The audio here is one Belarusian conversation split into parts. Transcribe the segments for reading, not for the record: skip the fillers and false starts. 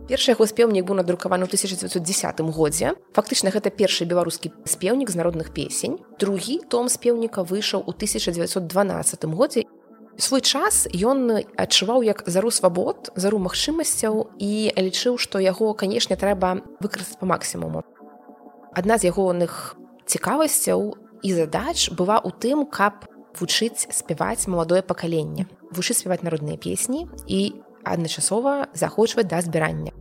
Першы яго спеўнік быў надрукаваны ў 1910 годзе. Фактычна гэта першы беларускі спеўнік з народных песень. Другі том спеўніка выйшаў у 1912 годзе. Свой час ён адчуваў як зару свабод, зару магчымасцяў і лічыў, што яго, канешне, трэба выкарыстаць па максімуму. Адна з ягоных цікавасцяў і задач была ў тым, каб вучыць спяваць маладое пакаленне, вучыць спяваць народныя песні і адначасова заахвочваць да збірання.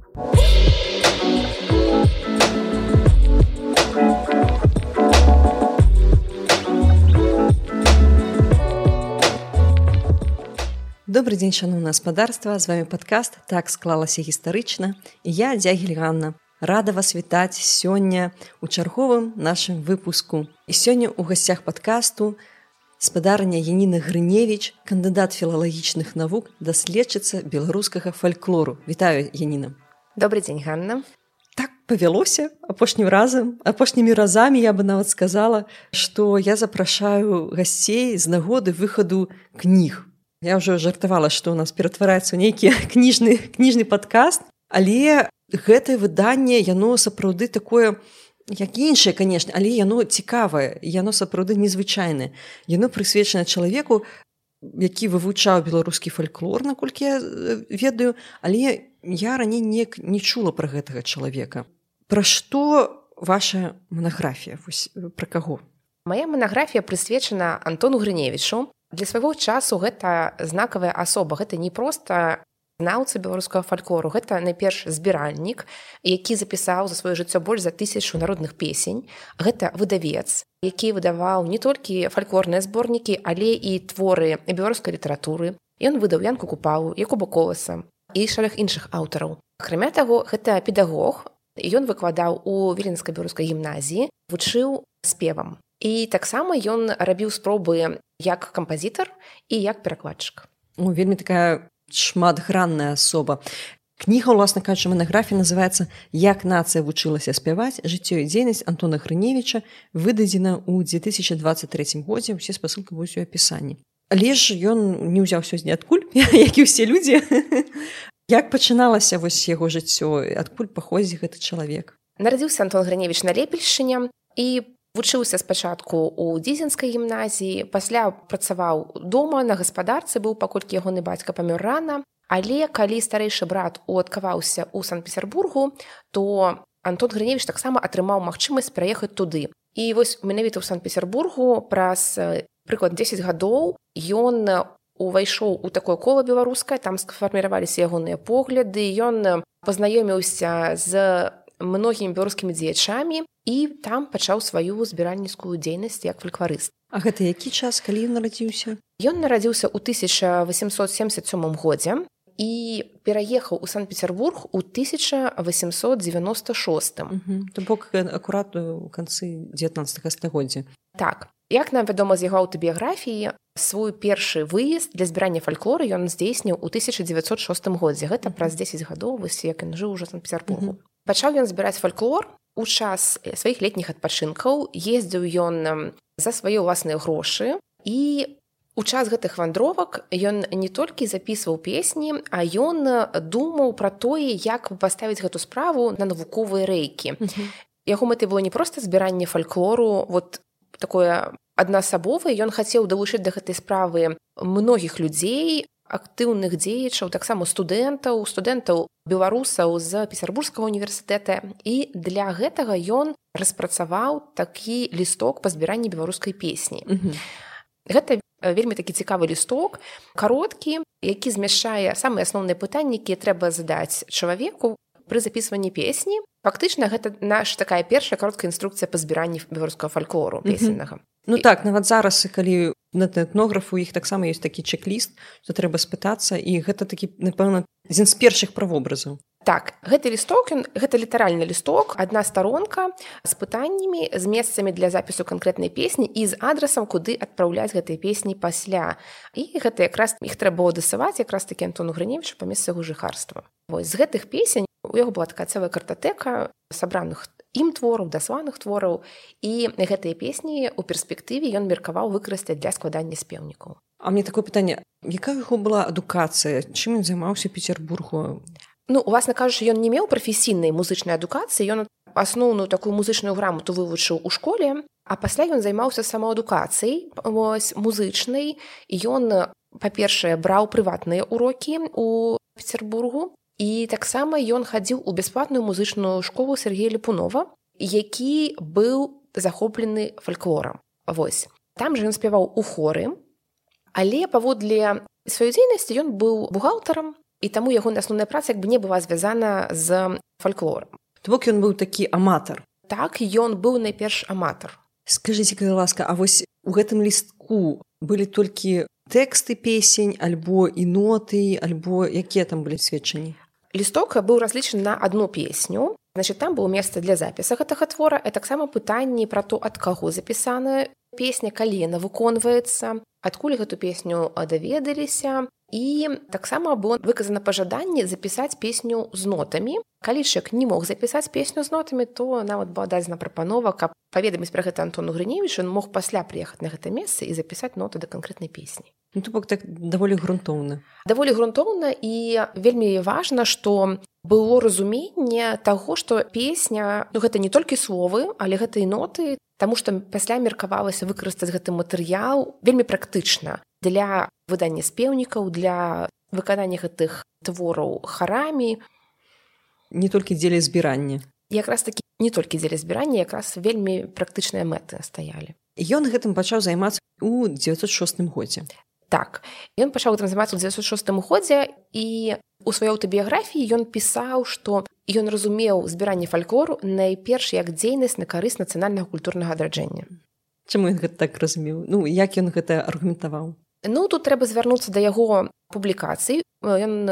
Добрый дзень, шаноўнае гаспадарства, з вами падкаст «Так склалася гістарычна» і я, Дзягіль Ганна. Рада вас вітаць сёння ў чарговым нашым выпуску. І сёння ў гасцях падкасту спадарня Яніна Грыневіч, кандыдат філалагічных навук, даследчыца беларускага фальклору. Вітаю, Яніна. Добрый дзень, Ганна. Так павялося апошнімі разамі я бы нават сказала, што я запрашаю гасцей з нагоды выхаду кніг. Я ўжо жартавала, што ў нас ператвараецца ў нейкі кніжны падкаст, але гэтае выданне, яно сапраўды такое, як іншае, канешне, але яно цікавае, яно сапраўды незвычайнае. Яно прысвечана чалавеку, які вывучаў беларускі фальклор, наколькі я ведаю, але я раней не чула пра гэтага чалавека. Пра што ваша манаграфія? Пра каго? Мая манаграфія прысвечана Антону Грыневічу. Для свайго часу гэта знакавая асоба, гэта не проста знаўца беларускага фальклору, гэта найперш збіральнік, які запісаў за сваё жыццё больш за 1000 народных песень. Гэта выдавец, які выдаваў не толькі фальклорныя зборнікі, але і творы беларускай літаратуры. Ён выдаў Янку Купалу, Якуба Коласа і шэраг іншых аўтараў. Акрамя таго, гэта педагог. Ён выкладаў у Віленскай беларускай гімназіі, вучыў спевам. І таксама ён рабіў спробы як кампазітар і як перакладчык. Вельмі такая шматгранная асоба. Кніга, уласна кажучы, манаграфія называецца «Як нацыя вучылася спяваць. Жыццё і дзейнасць Антона Грыневіча», выдадзена ў 2023 годзе. Усе спасылкі будуць у апісанні. Але ж ён не ўзяўся ніадкуль, як і ўсе людзі. Як пачыналася вось яго жыццё, адкуль паходзіць гэты чалавек? Нарадзіўся Антон Грыневіч на Лепельшчыне і вучыўся спачатку ў Дзізенскай гімназіі, пасля працаваў дома на гаспадарцы, быў, паколькі ягоны бацька памёр рана. Але калі старэйшы брат уладкаваўся ў Санкт-Петербургу, то Антон Грыневіч таксама атрымаў магчымасць пераехаць туды. І вось менавіта ў Санкт-Петербургу праз прыклад 10 гадоў ён увайшоў у такое кола беларускае, там сфарміраваліся ягоныя погляды, ён пазнаёміўся з многімі беларускімі дзеячамі і там пачаў сваю збіральніцкую дзейнасць як фалькларыст. А гэта які час, калі ён нарадзіўся? Ён нарадзіўся ў 1877 годзе і пераехаў у Санкт-Петербург у 1896. То бок акурат у канцы 19 стагоддзя. Так. Як нам вядома з яго аўтабіяграфіі, свой першы выезд для збірання фальклору ён здзейсніў у 1906 годзе. Гэта праз 10 гадоў, вось як ён жыў ужо ў Санкт-Петербургу. Пачаў ён збіраць фальклор у час сваіх летніх адпачынкаў, ездзіў ён за свае ўласныя грошы, і у час гэтых вандровак ён не толькі запісваў песні, а ён думаў пра тое, як паставіць гэту справу на навуковыя рэйкі. Яго мэтай было не проста збіранне фальклору, вот такое аднасабовае, ён хацеў далучыць да гэтай справы многіх людзей, актыўных дзеячаў, таксама студэнтаў беларусаў з Петербургскага універсітэта. І для гэтага ён распрацаваў такі лісток па збіранні беларускай песні. Гэта вельмі такі цікавы лісток, кароткі, які змяшчае самыя асноўныя пытанні, якія трэба задаць чалавеку пры запісванні песні. Фактычна, гэта наша такая першая кароткая інструкцыя па збіранні беларускага фальклору песеннага. Ну так, нават зараз, калі на этнографу іх таксама ёсць такі чек-ліст, то трэба спытацца, і гэта такі, напэўна, адзін з першых правобразаў. Так, гэты лісток, гэта літаральны лісток, адна старонка з пытаннямі, з месцамі для запісу канкрэтнай песні і з адрасам, куды адпраўляць гэтыя песні пасля. І гэта якраз іх трэба было дасылаць якраз такі Антону Грыневічу па месцы яго жыхарства. Вось з гэтых песень у яго была такая цэлая картатэка сабраных ім твораў, дасланых твораў, і гэтыя песні ў перспектыве ён меркаваў выкарыстаць для складання спеўнікаў. А мне такое пытанне, якая яго была адукацыя? Чым ён займаўся ў Петербургу? Ну, уласна кажучы, ён не меў прафесійнай музычнай адукацыі, ён асноўную такую музычную грамоту вывучыў у школе, а пасля ён займаўся самаадукацыяй музычнай. Ён, па-першае, браў прыватныя урокі ў Петербургу, і таксама ён хадзіў у бясплатную музычную школу Сергея Ліпунова, які быў захоплены фальклорам. Вось. Там жа ён спяваў у хоры, але паводле сваёй дзейнасці ён быў бухгалтарам, і таму ягоная асноўная праца як бы не была звязана з фальклорам. То бок ён быў такі аматар. Так, ён быў найперш аматар. Скажыце, калі ласка, а вось у гэтым лістку былі толькі тэксты песень, альбо і ноты, альбо якія там былі сведчанні? Лісток быў разлічаны на адну песню. Значит, там было месца для запіса гэтага твора, а таксама пытанні пра то, ад каго запісаная песня, калі яна выконваецца, адкуль гэту песню даведаліся. І таксама было выказана пажаданне запісаць песню з нотамі. Калі чалавек не мог запісаць песню з нотамі, то нават была дадзена прапанова, каб паведаміць пра гэта Антону Грыневічу, ён мог пасля прыехаць на гэта месца і запісаць ноты да канкрэтнай песні. Ну, то бок так даволі грунтоўна. Даволі грунтоўна, і вельмі важна, што было разуменне таго, што песня, ну, гэта не толькі словы, але гэта і ноты, таму што пасля меркавалася выкарыстаць гэты матэрыял вельмі практычна для выдання спеўнікаў, для выканання гэтых твораў харамі. Не толькі дзеля збірання. Якраз такі не толькі дзеля збірання, якраз вельмі практычныя мэты стаялі. Ён гэтым пачаў займацца ў 906 годзе. Так, ён пачаў гэтым займацца ў 906 годзе, і у сваёй аўтабіяграфіі ён пісаў, што ён разумеў збіранне фальклору найперш як дзейнасць на карысць нацыянальнага культурнага адраджэння. Чаму ён гэта так разумеў? Ну, як ён гэта аргументаваў? Ну, тут трэба звярнуцца да яго публікацый. Ён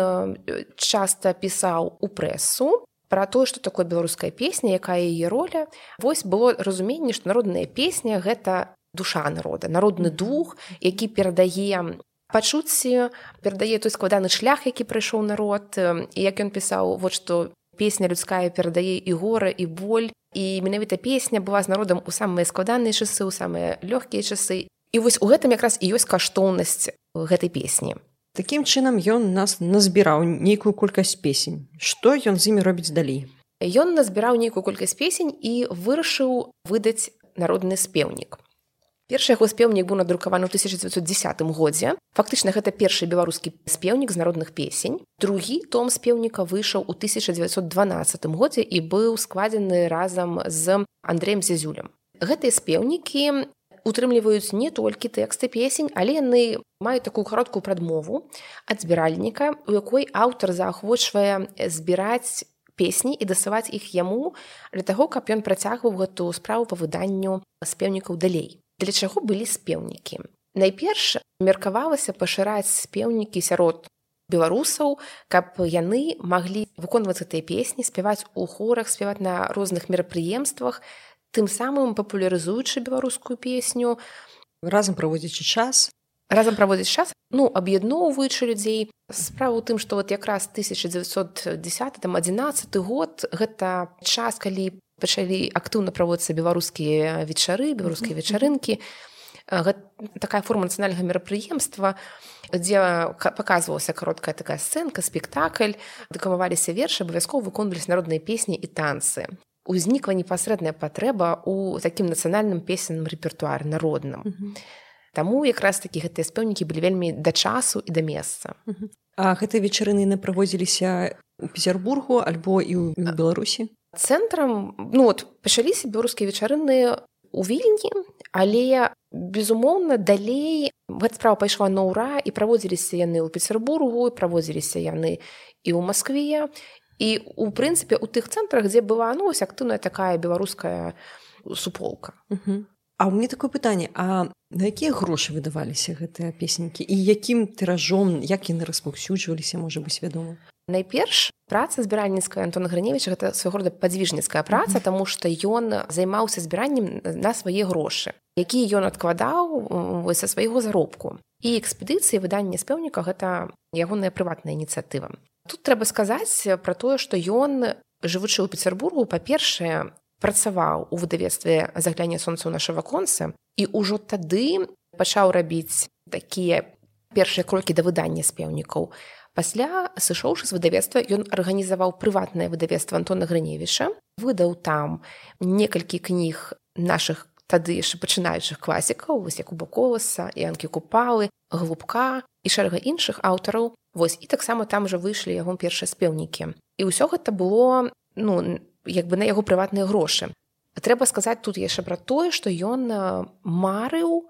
часта пісаў у прэсу пра тое, што такое беларуская песня, якая яе роля. Вось было разуменне, што народная песня – гэта душа народа, народны дух, які перадае пачуцці, перадае той складаны шлях, які прайшоў народ. І як ён пісаў, вот што песня людская перадае і гора, і боль. І менавіта песня была з народам у самыя складаныя часы, у самыя лёгкія часы. І вось у гэтым якраз і ёсць каштоўнасць гэтай песні. Такім чынам ён нас назбіраў нейкую колькасць песень. Што ён з імі робіць далей? Ён назбіраў нейкую колькасць песень і вырашыў выдаць народны спеўнік. Першы яго спеўнік быў надрукаваны ў 1910 годзе. Фактычна, гэта першы беларускі спеўнік з народных песень. Другі том спеўніка выйшаў у 1912 годзе і быў складзены разам з Андрэем Зязюлем. Гэтыя спеўнікі утрымліваюць не толькі тэксты песень, але яны маюць такую кароткую прадмову ад збіральніка, у якой аўтар заахвочвае збіраць песні і дасылаць іх яму для таго, каб ён працягваў гэту справу па выданню спеўнікаў далей. Для чаго былі спеўнікі? Найперш меркавалася пашыраць спеўнікі сярод беларусаў, каб яны маглі выконваць гэтыя песні, спяваць у хорах, спяваць на розных мерапрыемствах, тым самым папулярызуючы беларускую песню. Разам праводзячы час. Ну, аб'ядноўваючы людзей. Справа ў тым, што вот якраз 1910-11 год гэта час, калі пачалі актыўна праводзіцца беларускія вечары, беларускія вечарынкі. Гэта такая форма нацыянальнага мерапрыемства, дзе паказвалася кароткая такая сцэнка, спектакль, дэкламаваліся вершы, абавязкова выконваліся народныя песні і танцы. Узнікла непасрэдная патрэба ў такім нацыянальным песенным рэпертуары народным. Таму якраз такі гэтыя спеўнікі былі вельмі да часу і да месца. А гэтыя вечарыны праводзіліся ў Петербургу альбо і ў Беларусі? Цэнтрам, ну от, пачаліся беларускія вечарыны ў Вільні, але, безумоўна, далей гэта справа пайшла на ўра, і праводзіліся яны ў Петербургу, і праводзіліся яны і ў Маскве. І, у прынцыпе, у тых цэнтрах, дзе была, ну, ось актыўная такая беларуская суполка. А ў мяне такое пытанне, а на якія грошы выдаваліся гэтыя песенькі? І якім тыражом, як яны распаўсюджваліся, можа быць, вядома? Найперш, праца збіральніцкая Антона Грыневіча – гэта свайго рода падзвіжніцкая праца, таму што ён займаўся збіраннем на свае грошы, якія ён адкладаў са свайго заробку. І экспедыцыі выдання спеўніка – гэта ягоная прыватная ініцыятыва. Тут трэба сказаць пра тое, што ён, жывучы ў Петербургу, па-першае, працаваў у выдавецтве «Загляне сонца ў наша ваконца», і ўжо тады пачаў рабіць такія першыя крокі да выдання спеўнікаў. Пасля, сышоўшы з выдавецтва, ён арганізаваў прыватнае выдавецтва Антона Грыневіча, выдаў там некалькі кніг нашых тады яшчэ пачынаючых класікаў, вось Якуба Коласа, Янкі Купалы, Глубка і шэрага іншых аўтараў. Вось, і таксама там жа выйшлі яго першыя спеўнікі. І ўсё гэта было, як бы на яго прыватныя грошы. Трэба сказаць тут яшчэ пра тое, што ён марыў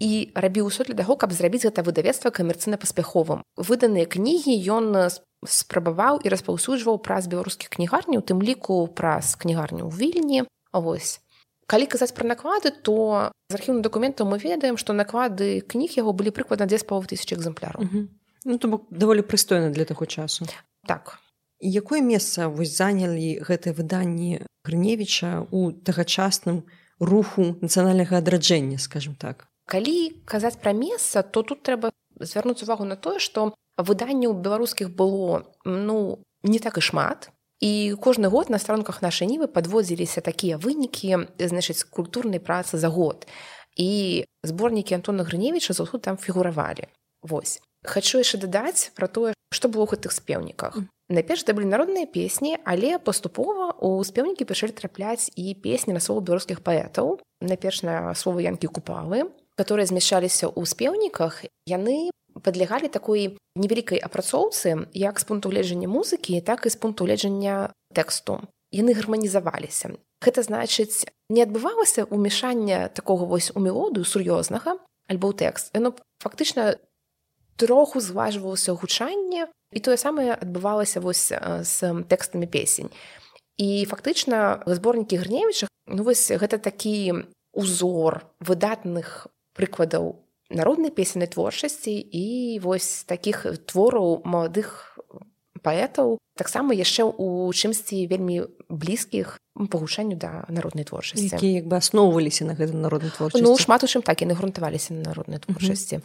і рабіў усё для таго, каб зрабіць гэта выдавецтва камерцыйна паспяховым. Выданыя кнігі ён спрабаваў і распаўсюджваў праз беларускіх кнігарняў, у тым ліку праз кнігарню ў Вільні. Вось. Калі казаць пра наклады, то з архіўных дакументаў мы ведаем, што наклады кніг яго былі прыкладна 2500 экземпляраў. То бок даволі прыстойна для таго часу. Так. І якое месца вось занялі гэтыя выданні Грыневіча ў тагачасным руху нацыянальнага адраджэння, скажем так? Калі казаць пра месца, то тут трэба звярнуць увагу на тое, што выданняў беларускіх было не так і шмат. І кожны год на старонках нашай нівы падводзіліся такія вынікі, значыць, культурнай працы за год. І зборнікі Антона Грыневіча заўсёды там фігуравалі. Вось. Хачу яшчэ дадаць пра тое, што было ў гэтых спеўніках. Найперш это былі народныя песні, але паступова ў спеўнікі пачалі трапляць і песні на словы беларускіх паэтаў. Найперш на словы Янкі Купалы, которые змяшчаліся ў спеўніках, яны падлягалі такой невялікай апрацоўцы як з пункту гледжання музыкі, так і з пункту гледжання тэксту. Яны гарманізаваліся. Гэта значыць, не адбывалася ўмешання такога вось у мелодыю сур'ёзнага альбо ў тэкст. Яно фактычна троху зважвалася гучанне, і тое самае адбывалася вось з тэкстамі песень. І фактычна зборнікі Грыневіча, вось гэта такі узор выдатных прыкладаў народнай песеннай творчасці і вось такіх твораў маладых паэтаў, таксама яшчэ ў чымсьці вельмі блізкіх па гучанню да народнай творчасці. Якія як бы асноўваліся на гэтай народнай творчасці. Шмат у чым так, яны грунтаваліся на народнай творчасці.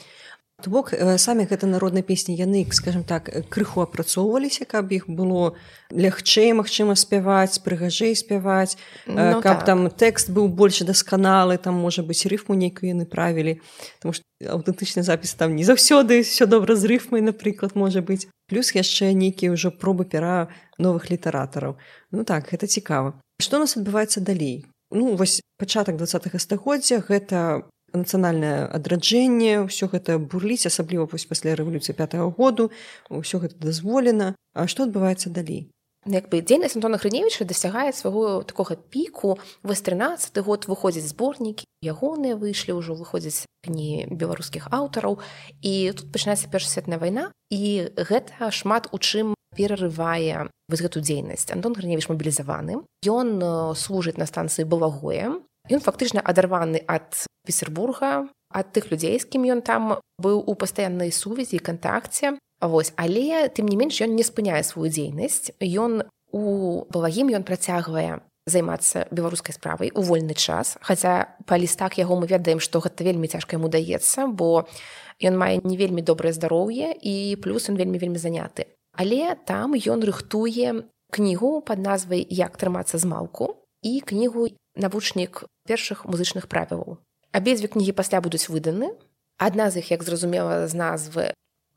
То бок, самі гэта народныя песні, яны, скажем так, крыху апрацоўваліся, каб іх было лягчэй, магчыма, спяваць, прыгажэй спяваць, каб там тэкст быў больш дасканалы, там, можа быць, рыфму нейкую яны правілі, тому што аўтэнтычны запіс там не заўсёды ўсё добра з рыфмай, напрыклад, можа быць. Плюс яшчэ нейкія ўжо пробы пера новых літаратараў. Так, гэта цікава. Што у нас адбываецца далей? Вось пачатак 20-га стагоддзя, гэта нацыянальнае адраджэнне, ўсё гэта бурліць, асабліва пасля рэвалюцыі 5-го году, ўсё гэта дазволена. А што адбываецца далей? Дзейнасць Антона Грыневіча дасягае свайго такога піку. Вось 13-й год выходзяць зборнікі, ягоныя выйшлі, ўжо выходзяць кнігі беларускіх аўтараў. І тут пачынаецца Першая светная вайна, і гэта шмат у чым перарывае вось гэту дзейнасць. Антон Грыневіч мабілізаваны, ён служыць на станцыі Балагое. Ён фактычна адарваны ад Петербурга, ад тых людзей, з кім ён там быў у пастаяннай сувязі і кантакце. Вось. Але, тым не менш, ён не спыняе сваю дзейнасць. Ён у Балагім ён працягвае займацца беларускай справай у вольны час, хаця па лістах яго мы ведаем, што гэта вельмі цяжка яму даецца, бо ён мае не вельмі добрае здароўе і плюс ён вельмі заняты. Але там ён рыхтуе кнігу пад назвай «Як трымацца з малку» і кнігу «Навучнік першых музычных правілаў». Абедзве кнігі пасля будуць выданы. Адна з іх, як зразумела з назвы,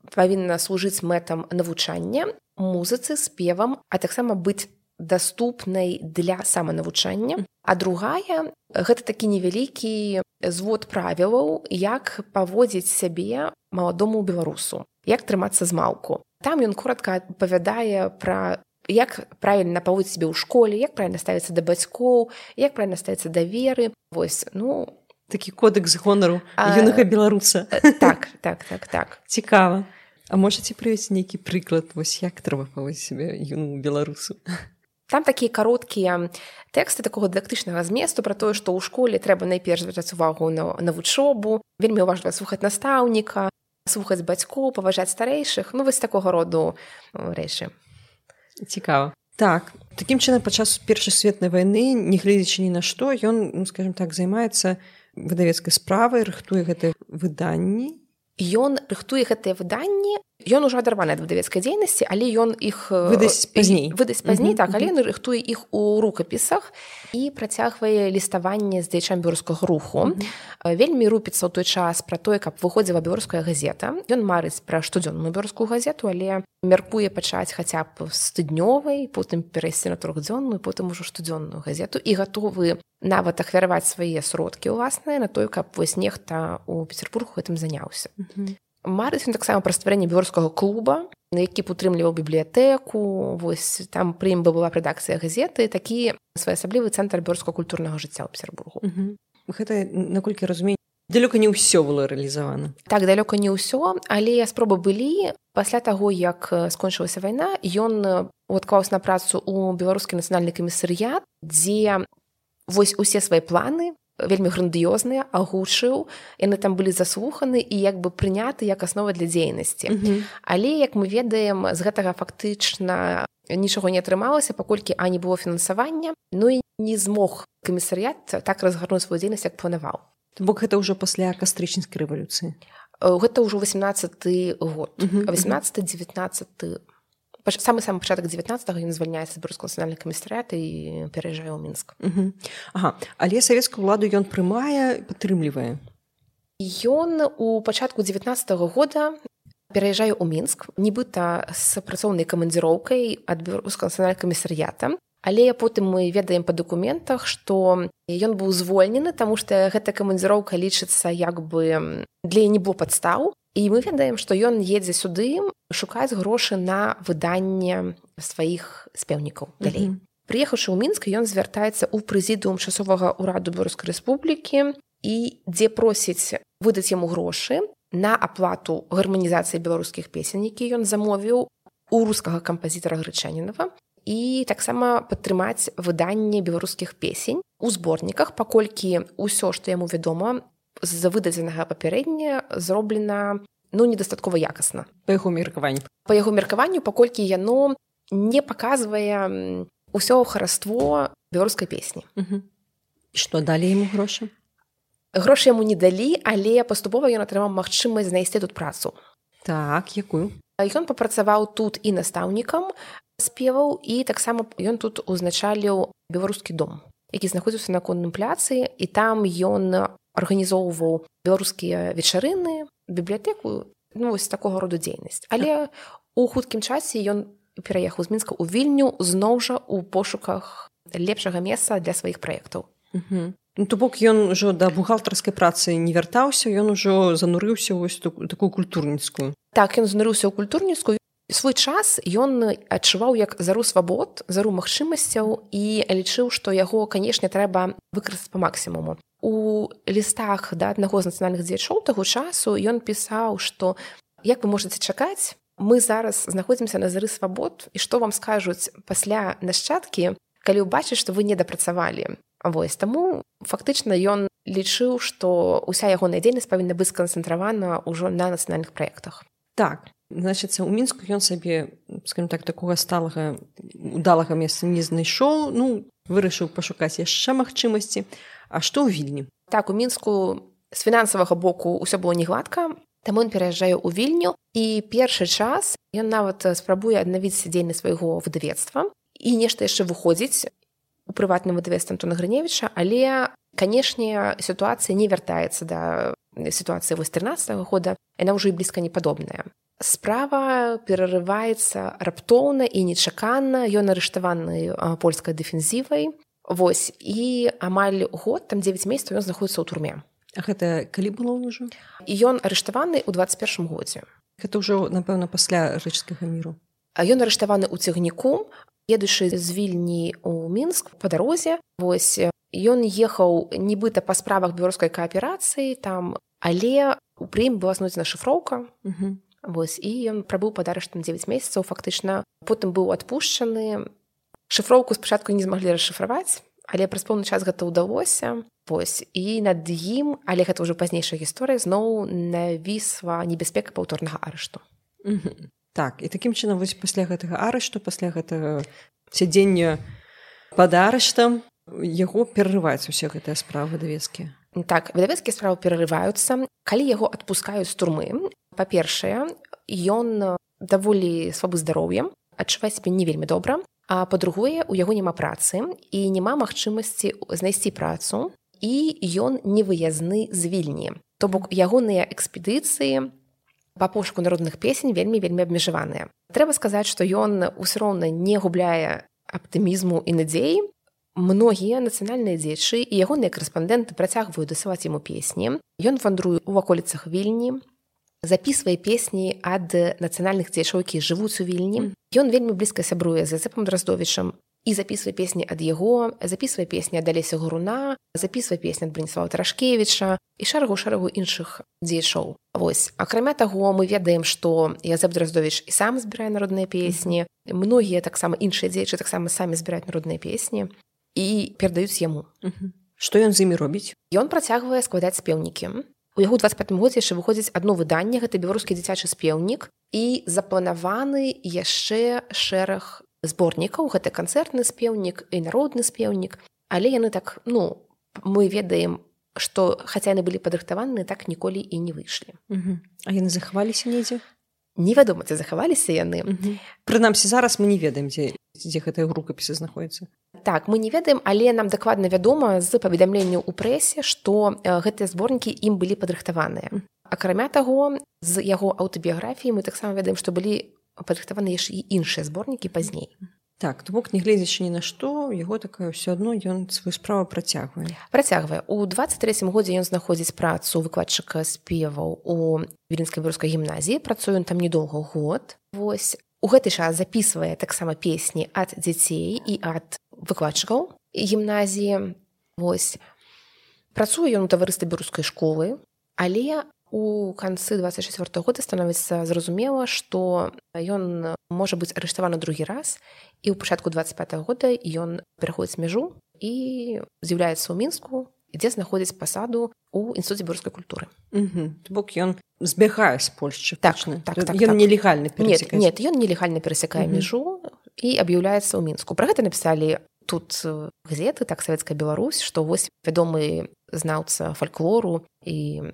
павінна служыць мэтам навучання, музыцы, спевам, а таксама быць даступнай для саманавучання. А другая – гэта такі невялікі звод правілаў, як паводзіць сябе маладому беларусу, як трымацца з малку. Там ён коротка апавядае пра як правільна паводзіць сябе ў школе, як правільна ставіцца да бацькоў, як правільна ставіцца да веры. Вось, такі кодэкс гонару юнага беларуса. Так. Цікава. А можаце прывесці нейкі прыклад, вось як трэба паводзіць сябе юнаму беларусу? Там такія кароткія тэксты такога дыдактычнага зместу пра тое, што ў школе трэба найперш звяртаць увагу на вучобу, вельмі ўважліва слухаць настаўніка, слухаць бацькоў, паважаць старэйшых, вось такога роду рэчы. Цікава. Так, такім чынам падчас Першай светнай вайны, нягледзячы ні на што, ён, скажем так, займаецца выдавецкай справай, рыхтуе гэтыя выданні. Ён рыхтуе гэтыя выданні, Ён ужо адарваны ад выдавецкай дзейнасці, але ён іх выдасць пазней, так, але ён рыхтуе іх у рукапісах і працягвае ліставанне з дзеячамі беларускага руху. Вельмі рупіцца ў той час пра тое, каб выходзіла беларуская газета. Ён марыць пра штодзённую беларускую газету, але мяркуе пачаць хаця б з тыднёвай, потым перайсці на трохдзённую, потым ужо штодзённую газету і гатовы нават ахвяраваць свае сродкі ўласныя на тое, каб вось нехта ў Петербургу гэтым заняўся. Марыць ён таксама пра стварэнне беларускага клуба, які падтрымліваў бібліятэку, вось там пры ім была рэдакцыя газеты, такі своеасаблівы цэнтр беларускага культурнага жыцця ў Петербургу. Гэта, наколькі разумею, далёка не ўсё было рэалізавана. Так, далёка не ўсё, але спробы былі. Пасля таго, як скончылася вайна, ён уадклаўся на працу ў беларускі нацыянальны камісарыят, дзе вось усе свае планы вельмі грандыёзныя агучыў, яны там былі заслуханы і як бы прыняты як аснова для дзейнасці. Але, як мы ведаем, з гэтага фактычна нічога не атрымалася, паколькі не было фінансавання, і не змог камісарыят так разгарнуць сваю дзейнасць, як планаваў. То бок гэта ўжо пасля кастрычніцкай рэвалюцыі? Гэта ўжо 18-й год. 18-19 самы пачатак 19-го ён звальняецца з беларускага нацыянальнага камісарыята і пераязджае ў Мінск. Але савецкую ўладу ён прымае, падтрымлівае? Ён у пачатку 19-го года пераязджае ў Мінск, нібыта з працоўнай камандзіроўкай ад беларускага нацыянальнага камісарыята, але потым мы ведаем па дакументах, што ён быў звольнены, таму што гэта камандзіроўка лічыцца як бы для не было падстаў. І мы ведаем, што ён едзе сюды шукаць грошы на выданне сваіх спеўнікаў далей. Прыехаўшы ў Мінск, ён звяртаецца ў прэзідыум часовага ўраду Беларускай Рэспублікі і дзе просіць выдаць яму грошы на аплату гарманізацыі беларускіх песень, які ён замовіў у рускага кампазітара Грычанінава, і таксама падтрымаць выданне беларускіх песень у зборніках, паколькі ўсё, што яму вядома, з выдадзенага папярэдня зроблена недастаткова якасна. Па яго меркаванню. Па яго меркаванню, паколькі яно не паказвае ўсё хараство беларускай песні. Што далі яму грошы? Грошы яму не далі, але паступова ён атрымаў магчымасць знайсці тут працу. Так, якую? Ён папрацаваў тут і настаўнікам спеваў, і таксама ён тут узначаліў беларускі дом, які знаходзіўся на Конным пляцы, і там ён арганізоўваў беларускія вечарыны, бібліятэку, вось такога роду дзейнасць. Але у хуткім часе ён пераехаў з Мінска ў Вільню зноў жа ў пошуках лепшага месца для сваіх праектаў. То бок ён ужо да бухгалтарскай працы не вяртаўся, ён ужо занурыўся вось такую культурніцкую. Так, ён занурыўся ў культурніцкую. Свой час ён адчуваў як зару свабод, зару магчымасцяў і лічыў, што яго, канешне, трэба выкарыстаць па максімуму. У лістах да аднаго з нацыянальных дзеячоў таго часу ён пісаў, што як вы можаце чакаць, мы зараз знаходзімся на зары свабод, і што вам скажуць пасля нашчадкі, калі ўбачыць, што вы не дапрацавалі. Вось, таму фактычна ён лічыў, што ўся ягоная дзейнасць павінна быць сканцэнтравана ўжо на нацыянальных праектах. Так, значыцца, у Мінску ён сабе, скажем так, такога сталага, удалага месца не знайшоў, вырашыў пашукаць яшчэ магчымасці. А што ў Вільні? Так, у Мінску з фінансавага боку ўсё было не гладка, таму ён пераязджае ў Вільню, і першы час ён нават спрабуе аднавіць дзейнасць свайго выдавецтва і нешта яшчэ выходзіць у прыватным выдавецтве Антона Грыневіча, але, канешне, сітуацыя не вяртаецца да сітуацыі 13-го года, яна ўжо і блізка не падобная. Справа перарываецца раптоўна і нечакана, ён арыштаваны польскай дэфензівай. Вось, і амаль год, там 9 месяцаў ён знаходіцца ў турме. А гэта калі было ўжо? І ён арыштаваны ў 21 годзе. Гэта ўжо, напэўна, пасля рэчыцкага міру. А ён арыштаваны ў цягніку, едучы з Вільні ў Мінск па дарозе. Вось, ён ехаў нібыта па справах беларускай кааперацыі там, але пры ім была знойдзена шыфроўка. Вось, і ён прабыў пад арыштам 9 месяцаў, фактычна. Потым быў адпушчаны. Шыфроўку спачатку не змаглі расшыфраваць, але праз пэўны час гэта ўдалося. Вось, і над ім, але гэта ўжо пазнейшая гісторыя, зноў навісла небяспека паўторнага арышту. Так, і такім чынам вось пасля гэтага арышту, пасля гэтага сядзення пад арыштам, яго перарываюць усе гэтыя справы выдавецкія. Так, выдавецкія справы перарываюцца. Калі яго адпускаюць з турмы, па-першае, ён даволі слабы здароўем, адчувае сябе не вельмі добра, а па-другое, у яго няма працы і няма магчымасці знайсці працу, і ён невыязны з Вільні. То бок ягоныя экспедыцыі па пошуку народных песень вельмі абмежаваныя. Трэба сказаць, што ён усё роўна не губляе аптымізму і надзеі. Многія нацыянальныя дзеячы і ягоныя карэспандэнты працягваюць дасылаць яму песні. Ён вандруе ў ваколіцах Вільні, запісвае песні ад нацыянальных дзеячоў, якія жывуць у Вільні. Ён вельмі блізка сябруе з Язэпам Драздовічам і запісвае песні ад яго, запісвае песні ад Алеся Гуруна, запісвае песні ад Браніслава Тарашкевіча і шэрагу іншых дзеячоў. Вось. Акрамя таго, мы ведаем, што Язэп Драздовіч і сам збірае народныя песні. Многія таксама іншыя дзеячы таксама самі збіраюць народныя песні і перадаюць яму. Што ён з імі робіць? Ён працягвае складаць спеўнікі. У яго 25 годзе яшчэ выходзіць адно выданне, гэта беларускі дзіцячы спеўнік, і запланаваны яшчэ шэраг зборнікаў, гэта канцэртны спеўнік і народны спеўнік, але яны так, мы ведаем, што хаця яны былі падрыхтаваны, так ніколі і не выйшлі. А яны захаваліся недзе? Невядома, ці захаваліся яны. Прынамсі, зараз мы не ведаем, дзе гэтыя рукапісы знаходзяцца. Так, мы не ведаем, але нам дакладна вядома з паведамленняў у прэсе, што гэтыя зборнікі ім былі падрыхтаваныя. Акрамя таго, з яго аўтабіяграфіі мы таксама ведаем, што былі падрыхтаваныя яшчэ і іншыя зборнікі пазней. Так, то бок, нягледзячы ні на што, яго такое ўсё адно ён сваю справу працягвае. У 23-м годзе ён знаходзіць працу выкладчыка спеваў у Віленскай беларускай гімназіі, працуе ён там недоўга год. Вось. У гэты час запісвае таксама песні ад дзяцей і ад выкладчыкаў гімназіі. Вось. Працуе ён у таварыстве беларускай школы, але у канцы 24-го года становіцца зразумела, што ён можа быць арыштаваны другі раз, і ў пачатку 25-го года ён пераходзіць мяжу і з'яўляецца ў Мінску, дзе знаходзіць пасаду ў інстытуце беларускай культуры. То бок ён збягае з Польшчы. Так. Ён нелегальна перасякае. Нет, ён нелегальна перасякае мяжу і аб'яўляецца ў Мінску. Пра гэта напісалі тут газеты, так, Савецкая Беларусь, што вось вядомы знаўца фальклору і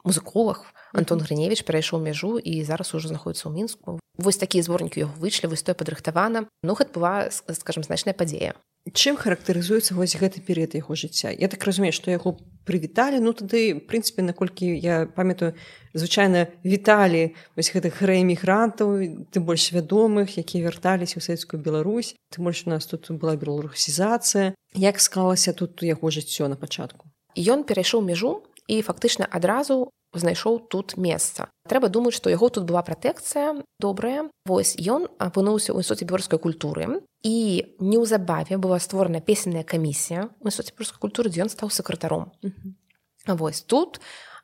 музыколог Антон Грыневіч перайшоў мяжу і зараз ужо знаходзіцца ў Мінску. Вось такія зборнікі ў яго выйшлі, вось тое падрыхтавана. Гэта была, скажам, значная падзея. Чым характарызуецца вось гэты перыяд яго жыцця? Я так разумею, што яго прывіталі, тады, в прынцыпе, наколькі я памятаю, звычайна віталі вось гэтых рээмігрантаў, тым больш вядомых, якія вярталіся ў Савецкую Беларусь. Тым больш у нас тут была беларусізацыя. Як склалася тут яго жыццё на пачатку? Ён перайшоў мяжу і фактычна адразу знайшоў тут месца. Трэба думаць, што яго тут была пратэкцыя добрая. Вось ён апынуўся ў інстытуце беларускай культуры, і неўзабаве была створана песенная камісія ў інстытуце беларускай культуры, дзе ён стаў сакратаром. Вось тут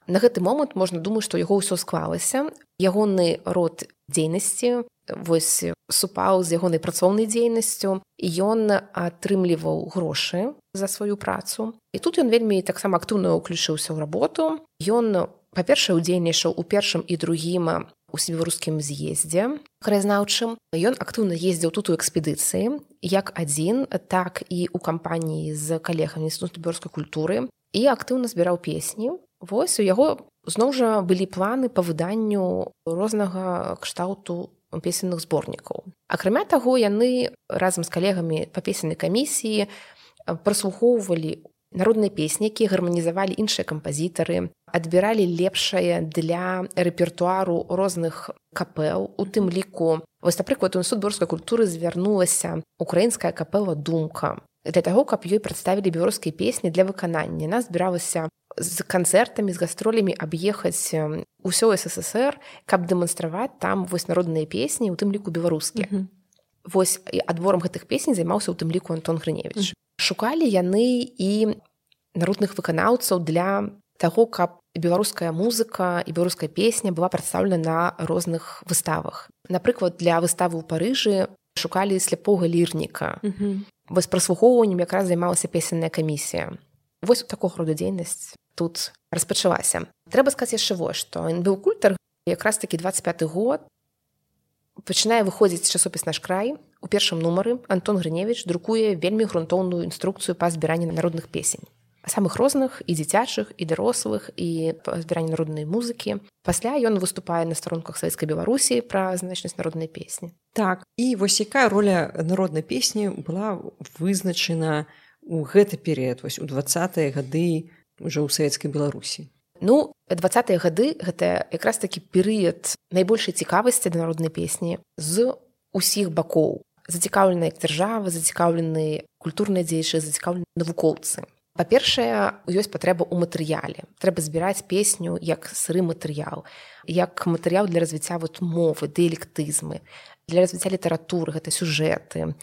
на гэты момант можна думаць, што яго ўсё склалася. Ягоны род дзейнасці вось супаў з ягонай працоўнай дзейнасцю, і ён атрымліваў грошы за сваю працу. І тут ён вельмі таксама актыўна ўключыўся ў работу. Ён, па-першае, удзельнічаў у першым і другім усебеларускім з'ездзе краязнаўчым. Ён актыўна ездзіў тут у экспедыцыі, як адзін, так і ў кампаніі з калегамі інстытута беларускай культуры, і актыўна збіраў песні. Вось у яго зноў жа былі планы па выданню рознага кшталту песенных зборнікаў. Акрамя таго, яны разам з калегамі па песеннай камісіі праслухоўвалі народныя песні, якія гарманізавалі іншыя кампазітары, адбіралі лепшае для рэпертуару розных капэл, у тым ліку. Вось, напрыклад, у інстытут беларускай культуры звярнулася украінская капэла «Думка» для таго, каб ёй прадставілі беларускія песні для выканання. Яна збіралася з канцэртамі, з гастролямі аб'ехаць усё СССР, каб дэманстраваць там вось народныя песні, у тым ліку беларускія. Вось адборам гэтых песень займаўся у тым ліку Антон Грыневіч. Шукалі яны і народных выканаўцаў для таго, каб беларуская музыка і беларуская песня была прадстаўлена на розных выставах. Напрыклад, для выставы ў Парыжы шукалі сляпога лірніка. Вось праслухоўваннем якраз займалася песенная камісія. Вось такога роду дзейнасць тут распачалася. Трэба сказаць яшчэ вось, што НБУ Культар якраз такі 25-й год пачынае выходзіць часопіс «Наш край». У першым нумары Антон Грыневіч друкуе вельмі грунтоўную інструкцыю па збіранні народных песень. самых розных і дзіцячых і дарослых і збірання народнай музыкі. Пасля ён выступае на старонках Савецкай Беларусі пра значнасць народнай песні. Так, і вось якая роля народнай песні была вызначана у гэты перыяд, вось у 20-е гады ўжо ў Савецкай Беларусі? 20-е гады гэта якраз такі перыяд найбольшай цікавасці да народнай песні з усіх бакоў. Зацікаўленыя дзяржава, зацікаўлены культурныя дзеячы, зацікаўлены навукоўцы. Па-першае, ёсць патрэба ў матэрыяле. Трэба збіраць песню як сыры матэрыял, як матэрыял для развіцця мовы, дыялектызмы, для развіцця літаратуры, гэта сюжэты,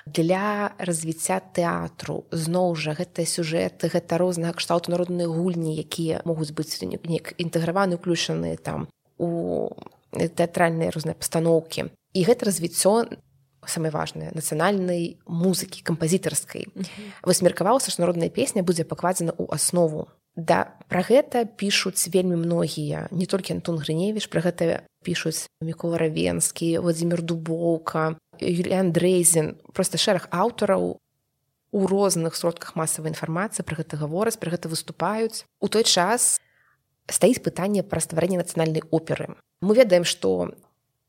для развіцця тэатру. Зноў жа, гэта сюжэты, гэта рознага кшталту народныя гульні, якія могуць быць неяк інтэграваны, уключаныя там у тэатральныя розныя пастаноўкі. І гэта развіццё самае важнае нацыянальнай музыкі кампазітарскай. Вось меркавалася, што народная песня будзе пакладзена ў аснову. Пра гэта пішуць вельмі многія, не толькі Антон Грыневіч, пра гэта пішуць Мікола Равенскі, Владзімір Дубоўка, Юліан Дрейзен, проста шэраг аўтараў у розных сродках масавай інфармацыі пра гэта гавораць, пра гэта выступаюць. У той час стаіць пытанне пра стварэнне нацыянальнай оперы. Мы ведаем, што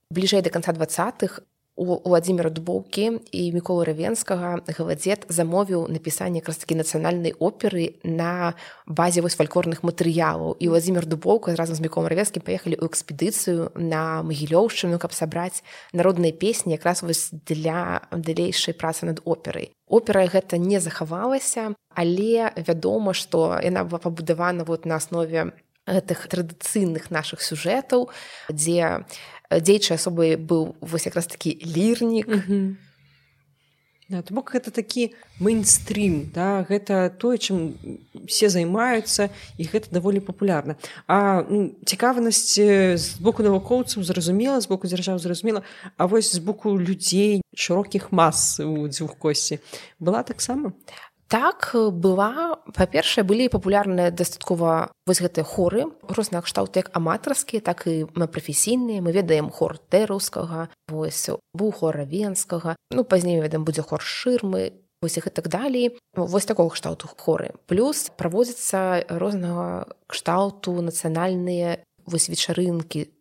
бліжэй да канца 20-х у Владзіміра Дубоўкі і Міколы Равенскага Галадзед замовіў напісанне якраз такі нацыянальнай оперы на базе фальклорных матэрыялаў. І Владзімір Дубоўка разам з Міколам Равенскім паехалі ў экспедыцыю на Магілёўшчыну, каб сабраць народныя песні якраз для далейшай працы над операй. Опера гэта не захавалася, але вядома, што яна была пабудавана на аснове гэтых традыцыйных нашых сюжэтаў, дзе дзейчай асобай быў якраз такі лірнік. Да, то бок гэта такі мейнстрім, да? Гэта тое, чым все займаюцца, і гэта даволі папулярна. А цікавасць з боку навукоўцаў зразумела, з боку дзяржавы зразумела, а вось з боку людзей, шырокіх мас у Дзюхкосці была таксама? Так, была. Па-першае, былі папулярныя дастаткова гэтыя хоры, розныя кшталты як аматарскія, так і прафесійныя. Мы ведаем хор Тэраўскага, быў хор Равенскага, пазней, ведаем, будзе хор Шырмы, і так далей. Такога кшталту хоры. Плюс праводзяцца рознага кшталту нацыянальныя вечарынкі,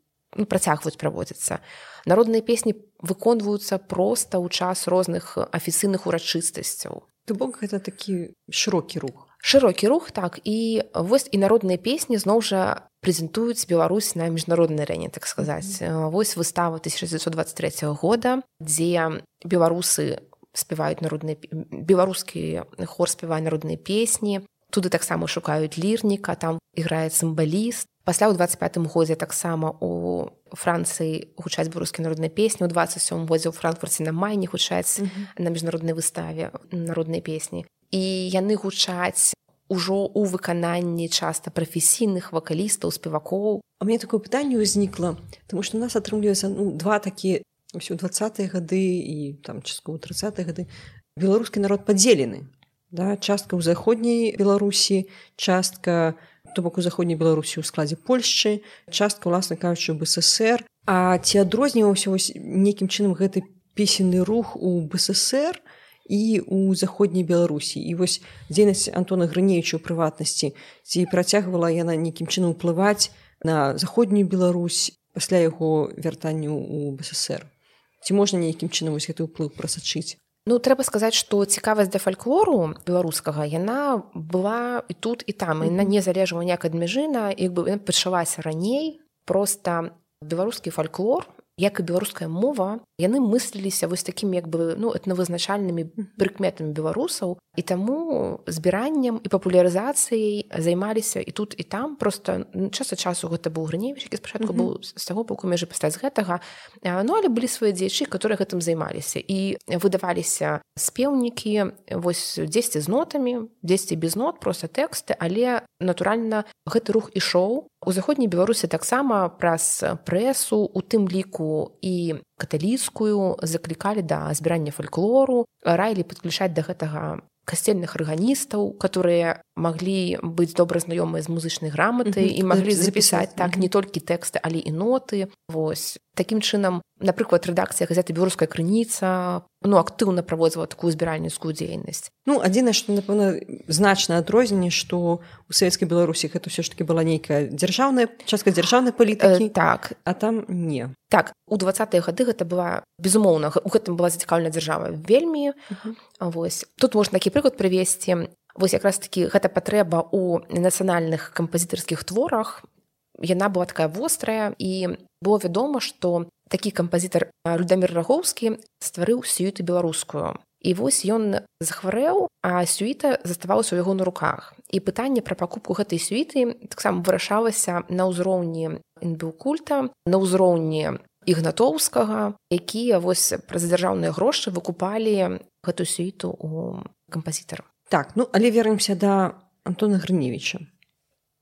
працягваюць праводзіцца. Народныя песні выконваюцца проста ў час розных афіцыйных урачыстасцяў. То бок гэта такі шырокі рух. Шырокі рух, так. І народныя песні зноў жа прэзентуюць Беларусь на міжнароднай арэне, так сказаць. Выстава 1923 года, дзе беларусы спяваюць беларускі хор спявае народныя песні. Туды таксама шукаюць лірніка, там іграе цымбаліст. Пасля ў 25-м годзе таксама у Францыі гучаць беларускія народныя песні, у 27-м годзе ў Франкфурце на Майне гучаць на міжнароднай выставе народныя песні. І яны гучаць ужо ў выкананні часта прафесійных вакалістаў, спевакоў. А мне такое пытанне ўзнікла, таму што у нас атрымліваецца два такія у 20-е гады і часткова 30-е гады. Беларускі народ падзелены. Да? Частка ў заходняй Беларусі, частка то бок у заходняй Беларусі ў складзе Польшчы, частка, уласна кажучы, ў БССР. А ці адрозніваўся нейкім чынам гэты песенны рух у БССР і ў заходняй Беларусі? І дзейнасць Антона Грыневіча ў прыватнасці, ці працягвала яна нейкім чынам уплываць на заходнюю Беларусь пасля яго вяртання ў БССР? Ці можна нейкім чынам гэты ўплыў прасачыць? Трэба сказаць, што цікавасць да фальклору беларускага, яна была і тут, і там. Яна не залежала ніяк ад мяжына, яна пачалася раней. Проста беларускі фальклор, як і беларуская мова, яны мысліліся такімі этнавызначальнымі прыкметамі беларусаў, і таму збіраннем і папулярызацыяй займаліся і тут, і там. Проста час ад часу гэта быў Грыневіч, які спачатку быў з таго боку мяжы, пасля з гэтага. Але былі свае дзеячы, которые гэтым займаліся. І выдаваліся спеўнікі, дзесьці з нотамі, дзесьці без нот, проста тэксты, але, натуральна, гэты рух ішоў. У заходняй Беларусі таксама праз прэсу, у тым ліку і каталіцкую, заклікалі да збірання фальклору, раілі падключаць да гэтага касцельных арганістаў, которые маглі быць добра знаёмыя з музычнай граматай і маглі запісаць так не толькі тэксты, але і ноты. Вось. Такім чынам, напрыклад, рэдакцыя газеты «Беларуская крыніца» актыўна праводзіла такую збіральніцкую дзейнасць. Адзінае, што, напэўна, значнае адрозненне, што ў савецкай Беларусі гэта ўсё ж такі была нейкая частка дзяржаўнай палітыкі, так. А там не. Так, у 20-е гады гэта была, безумоўна, у гэтым была зацікаўлена дзяржава вельмі. Вось. Тут можна такі прыклад прывесці. Вось якраз такі гэта патрэба ў нацыянальных кампазітарскіх творах. Яна была такая вострая, і было вядома, што такі кампазітар Людамір Рагоўскі стварыў сюіту беларускую. І вось ён захварэў, а сюіта заставалася ў яго на руках. І пытанне пра пакупку гэтай сюіты таксама вырашалася на ўзроўні інбіўкульта, на ўзроўні Ігнатоўскага, якія вось праз дзяржаўныя грошы выкупалі гэтую сюіту у кампазітара. Так, але вернемся да Антона Грыневіча.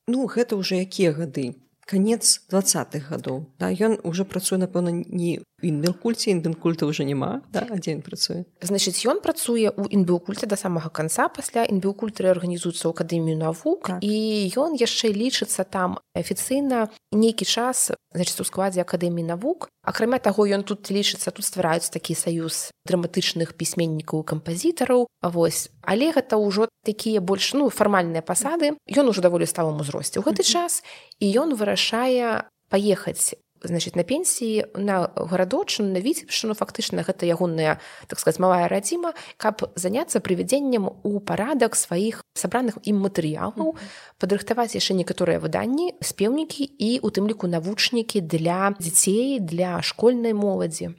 Гэта ўжо якія гады? Канец 20-х гадоў. Да? Ён уже працуе, напэўна, не ў інбіўкульце, інбіўкульта ўжо няма, да? А дзе ён працуе? Значыць, ён працуе ў інбіўкульце да самага канца, пасля інбіўкульт рэарганізуецца ў Акадэмію навук, так. І ён яшчэ лічыцца там афіцыйна нейкі час, значыць, у складзе Акадэміі навук. Акрамя таго, ён тут лічыцца, тут ствараюць такі саюз драматычных пісьменнікаў і кампазітараў. Вось. Але гэта ўжо такія больш фармальныя пасады. Ён ужо даволі сталым узросце ў гэты час, і ён вырашае паехаць, значыць, на пенсіі на гарадочыну, на Віцебшчыну, фактычна гэта ягоная, так сказаць, малая радзіма, каб заняцца прывядзеннем у парадак сваіх сабраных ім матэрыялаў, падрыхтаваць яшчэ некаторыя выданні, спеўнікі і у тым ліку навучнікі для дзяцей, для школьнай моладзі.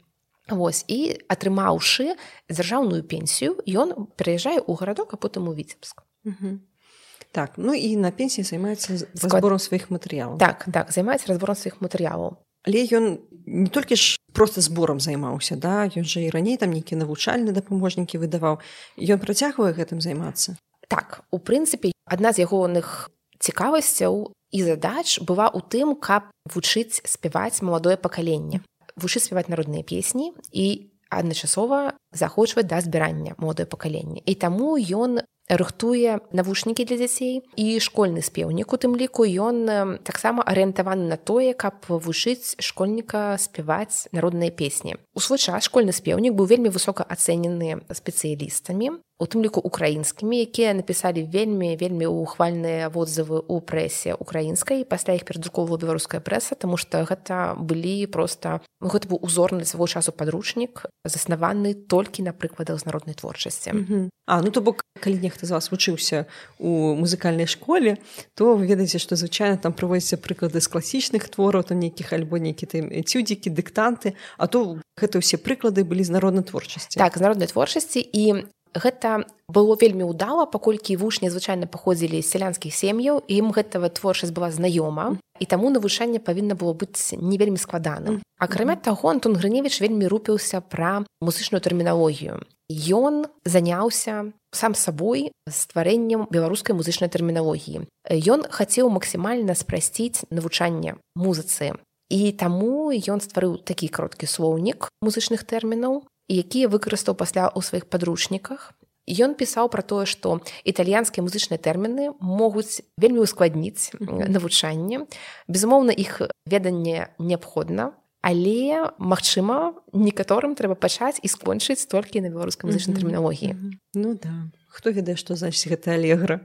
Вось, і атрымаўшы дзяржаўную пенсію, ён пераязджае ў гарадок, а потым у Віцебск. Так, і на пенсіі займаецца разбором сваіх матэрыялаў. Так, займаецца разбором сваіх матэрыялаў. Але ён не толькі ж проста зборам займаўся, да? Ён жа і раней там нейкія навучальныя дапаможнікі выдаваў. Ён працягвае гэтым займацца? Так, у прынцыпе, адна з ягоных цікавасцяў і задач была ў тым, каб вучыць спяваць маладое пакаленне. Вучыць спяваць народныя песні і адначасова заахвочваць да збірання маладое пакаленне. І таму ён рыхтуе навушнікі для дзяцей і школьны спеўнік, у тым ліку ён таксама арыентаваны на тое, каб вучыць школьніка спяваць народныя песні. У свой час школьны спеўнік быў вельмі высока ацэнены спецыялістамі, у тым ліку украінскімі, якія напісалі вельмі ухвальныя водзывы ў прэсе украінскай, пасля іх перадруковала беларуская прэса, таму што гэта былі проста, гэта быў узорны для свайго часу падручнік, заснаваны толькі на прыкладах з народнай творчасці. То бок, калі нехта з вас вучыўся у музыкальнай школе, то вы ведаеце, што звычайна там прыводзяцца прыклады з класічных твораў, там нейкіх альбо нейкія там этюдзікі, дыктанты, а то гэта ўсе прыклады былі з народнай творчасці. Так, з народнай творчасці, і гэта было вельмі ўдала, паколькі вучні звычайна паходзілі з сялянскіх сем'яў, і ім гэтая творчасць была знаёма, і таму навучанне павінна было быць не вельмі складаным. Акрамя таго, Антон Грыневіч вельмі рупіўся пра музычную тэрміналогію. Ён заняўся сам сабой стварэннем беларускай музычнай тэрміналогіі. Ён хацеў максімальна спрасціць навучанне музыцы. І таму ён стварыў такі кароткі слоўнік музычных тэрмінаў, якія выкарыстаў пасля ў сваіх падручніках. Ён пісаў пра тое, што італьянскія музычныя тэрміны могуць вельмі ускладніць навучанне. Безумоўна, іх веданне неабходна, але, магчыма, некаторым трэба пачаць і скончыць толькі на беларускай музычнай тэрміналогіі. Да. Хто ведае, што значыць гэта алегра?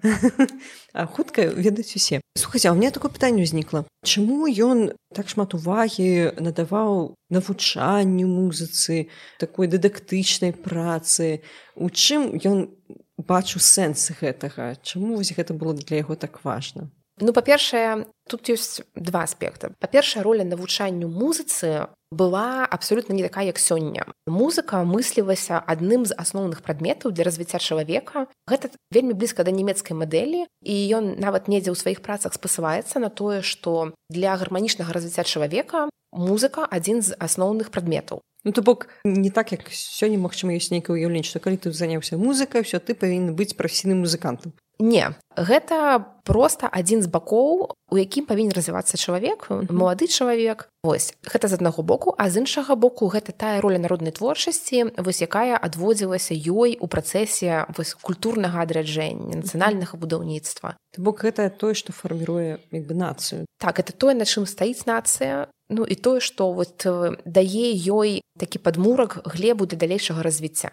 А хутка ведаюць усе. Слухайце, а ў мяне такое пытанне ўзнікла. Чаму ён так шмат увагі надаваў навучанню музыцы, такой дыдактычнай працы? У чым ён бачыў сэнс гэтага? Чаму вось гэта было для яго так важна? Па-першае, тут ёсць два аспекты. Па-першае, роля навучанню музыцы была абсолютна не такая, як сёння. Музыка мыслілася адным з асноўных прадметаў для развіцця чалавека. Гэта вельмі блізка да нямецкай мадэлі, і ён нават недзе ў сваіх працах спасылаецца на тое, што для гарманічнага развіцця чалавека музыка адзін з асноўных прадметаў. То бок, не так, як сёння, магчыма, ёсць нейкае ўяўленне, што калі ты заняўся музыкай, ўсё, ты павінен быць прафесійным музыкантам. Не, гэта проста адзін з бакоў, у якім павінен развівацца чалавек, малады чалавек. Вось, гэта з аднаго боку, а з іншага боку гэта тая роля народнай творчасці, вось якая адводзілася ёй у працэсе вось культурнага адраджэння, нацыянальнага будаўніцтва. То бок гэта тое, што фарміруе як бы нацыю. Так, это тое, на чым стаіць нацыя, ну і тое, што вот дае ёй такі падмурак, глебу для далейшага развіцця.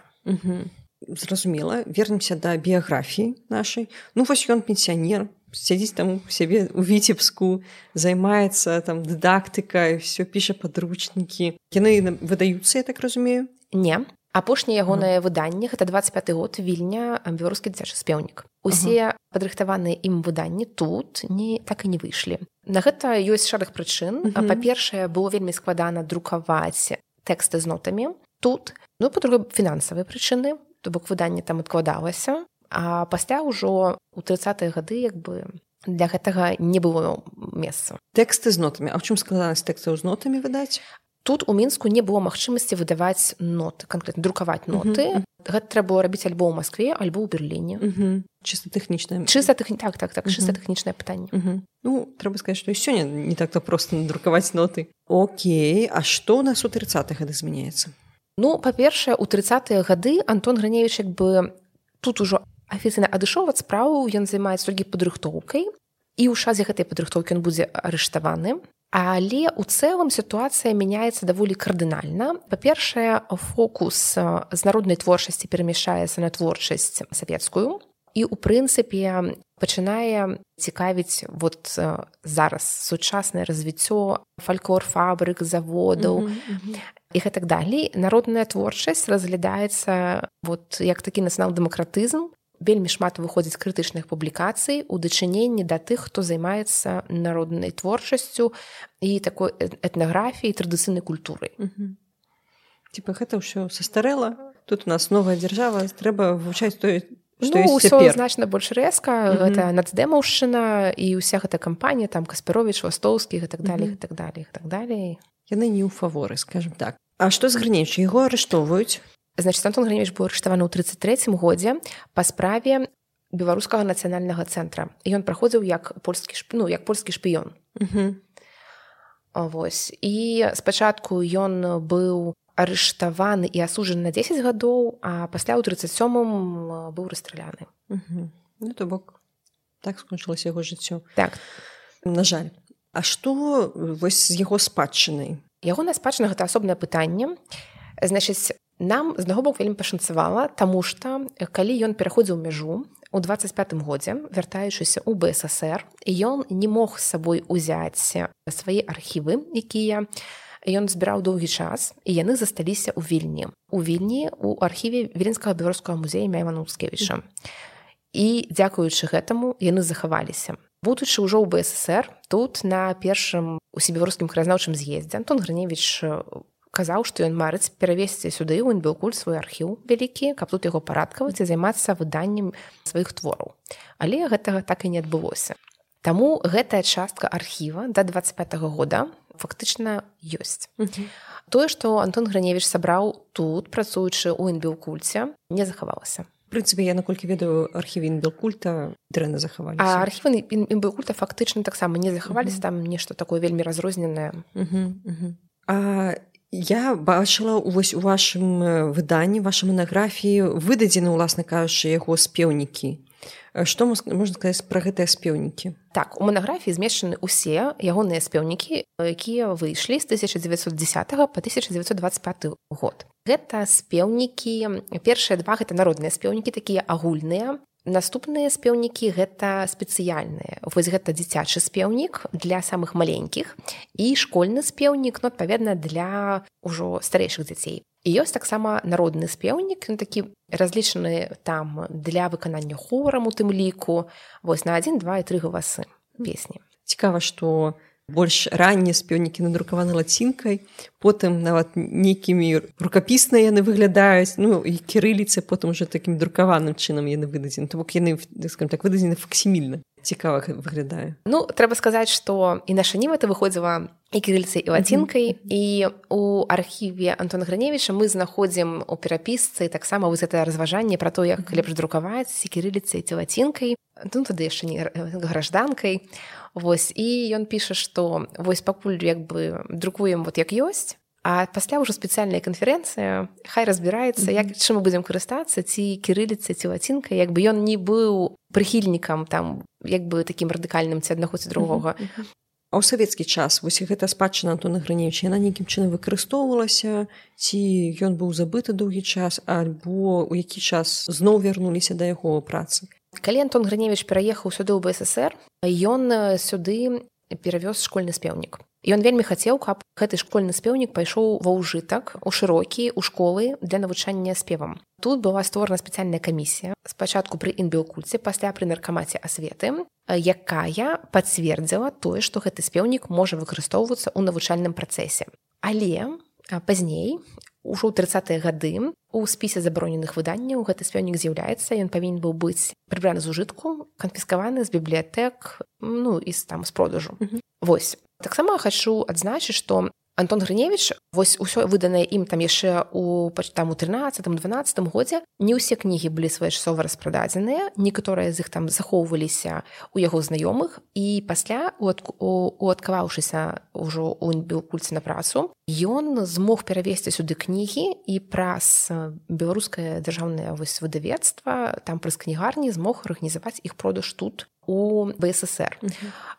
Зразумела, вернемся да біяграфіі нашай. Ну вось ён пенсіянер, сядзіць там у сябе у Віцебску, займаецца там дыдактыкай, все піша падручнікі. Яны выдаюцца, я так разумею? Не. Апошняе ягонае выданне, гэта 25-й год, Вільня, беларускі дзіцячы спеўнік. Усе падрыхтаваныя ім выданні тут так і не выйшлі. На гэта ёсць шэраг прычын. Па-першае, было вельмі складана друкаваць тэксты з нотамі тут. Ну, па-другое, фінансавыя прычыны. То бок выданне там адкладалася, а пасля ўжо ў 30-е гады як бы для гэтага не было месца. Тэксты з нотамі. А ў чым складанасць тэкстаў з нотамі выдаць? Тут у Мінску не было магчымасці выдаваць ноты, канкрэтна друкаваць ноты. Гэта трэба было рабіць альбо ў Маскве, альбо ў Берліне. Чыста тэхнічнае. Так, чыста тэхнічнае пытанне. Ну, трэба сказаць, што і сёння не так-то проста надрукаваць ноты. Окей, а што ў нас у 30-е гады змяняецца? Ну, па-першае, у 30-е гады Антон Грыневіч як бы тут ужо афіцыйна адышоў ад справы, ён займаецца толькі падрыхтоўкай, і ў часе гэтай падрыхтоўкі ён будзе арыштаваны. Але ў цэлым сітуацыя мяняецца даволі кардынальна. Па-першае, фокус з народнай творчасці перамяшчаецца на творчасць савецкую, і ў прынцыпе пачынае цікавіць вот зараз сучаснае развіццё фальклор фабрык, заводаў і гэтак далей. Народная творчасць разглядаецца вот як такі нацыянал-дэмакратызм. Вельмі шмат выходзіць крытычных публікацый у дачыненні да тых, хто займаецца народнай творчасцю і такой этнаграфіяй, традыцыйнай культурай. Типа гэта ўсё састарэла, тут у нас новая дзяржава, трэба вывучаць тое, што ну, ёсць цяпер. Усё значна больш рэзка, гэта нацдэмаўшчына і ўся гэта кампанія, там Каспаровіч, Вастоўскі, і так далей, і так далей, і так далей. Яны не ў фаворы, скажем так. А што з Грыневіча? Яго арыштоўваюць? Значит, Антон Грыневіч быў арыштаваны ў 33-м годзе па справе беларускага нацыянальнага цэнтра. Ён праходзіў як польскі шпіён. Вось. І спачатку ён быў арыштаваны і асуджаны на 10 гадоў, а пасля ў 37-м быў расстраляны. Ну, то бок, так скончылася яго жыццё. Так. На жаль. А што вось з яго спадчынай? Ягоная спадчына – гэта асобнае пытанне. Значыць, нам з аднаго боку вельмі пашанцавала, таму што калі ён пераходзіў мяжу у 25-м годзе, вяртаючыся ў БССР, ён не мог з сабой узяць свае архівы, якія ён збіраў доўгі час, і яны засталіся ў Вільні. У Вільні у архіве Віленскага беларускага музея імя Івана Муцкевіча. І дзякуючы гэтаму яны захаваліся. Будучы ўжо ў БССР, тут на першым усебеларускім краязнаўчым з'ездзе Антон Грыневіч казаў, што ён марыць перавесці сюды ў НБКульт свой архіў вялікі, каб тут яго парадкаваць і займацца выданнем сваіх твораў. Але гэтага так і не адбылося. Таму гэтая частка архіва да 25-го года фактычна ёсць. Тое, што Антон Грыневіч сабраў тут, працуючы ў НБКульце, не захавалася. В прынцыпе, я, наколькі ведаю, архівы НБКульта дрэнна захаваліся. А архівы НБКульта фактычна таксама не захаваліся, там нешта такое вельмі разрозненае. А я бачыла вось у вашым выданні, вашай манаграфіі выдадзены, уласна кажучы, яго спеўнікі. Што можна сказаць пра гэтыя спеўнікі? Так, у манаграфіі змешчаны ўсе ягоныя спеўнікі, якія выйшлі з 1910 па 1925 год. Гэта спеўнікі, першыя два гэта народныя спеўнікі, такія агульныя. Наступныя спеўнікі гэта спецыяльныя. Вось гэта дзіцячы спеўнік для самых маленькіх і школьны спеўнік, ну, адпаведна, для ўжо старэйшых дзяцей. І ёсць таксама народны спеўнік, ён такі разлічаны там для выканання хорам у тым ліку, вось на 1, 2 і 3 галасы песні. Цікава, што больш раннія спеўнікі надрукаваны лацінкай, потым нават нейкімі рукапісна яны выглядаюць, ну і кірыліцы, потым уже такім друкаваным чынам яны выдадзены. То бок яны, скажем так, выдадзены факсімільна. цікава выглядае. Ну, трэба сказаць, што і наша ніва-то выходзіла і кірыліцай, і лацінкай, і у архіве Антона Грыневіча мы знаходзім у перапісцы таксама вось гэтае разважанне пра то, як лепш друкаваць ці кірыліцай, ці лацінкай, ну, тады яшчэ не гражданкай. Вось, і ён піша, што вось пакуль як бы друкуем вот як ёсць, а пасля ўжо спецыяльная канферэнцыя, хай разбіраецца, як чым мы будзем карыстацца, ці кірыліцай, ці лацінкай, як бы ён не быў прыхільнікам там, як бы такім радыкальным ці аднаго ці другога. А ў савецкі час вось гэта спадчына Антона Грыневіча, яна нейкім чынам выкарыстоўвалася, ці ён быў забыты доўгі час, альбо ў які час зноў вярнуліся да яго працы? Калі Антон Грыневіч пераехаў сюды ў БССР, ён сюды перавёз школьны спеўнік. Ён вельмі хацеў, каб гэты школьны спеўнік пайшоў ва ўжытак, у шырокі, у школы для навучання спевам. Тут была створана спецыяльная камісія, спачатку пры інбіокульце, пасля пры наркамаце асветы, якая пацвердзіла тое, што гэты спеўнік можа выкарыстоўвацца ў навучальным працэсе. Але пазней, ужо ў 30-е гады, у спісе забароненых выданняў гэты спеўнік з'яўляецца, ён павінен быў быць прыбраны з ужытку, канфіскаваны з бібліятэк, ну, і там з продажу. Вось. Таксама хачу адзначыць, што Антон Грыневіч, вось усё выданае ім там яшчэ у 13-12 годзе, не ўсе кнігі былі своечасова распрададзеныя, некаторыя з іх там захоўваліся у яго знаёмых, і пасля, уадкаваўшыся ўжо ў інбіокульце на працу, ён змог перавесці сюды кнігі і праз беларускае дзяржаўнае выдавецтва, там праз кнігарні змог арганізаваць іх продаж тут, у БССР.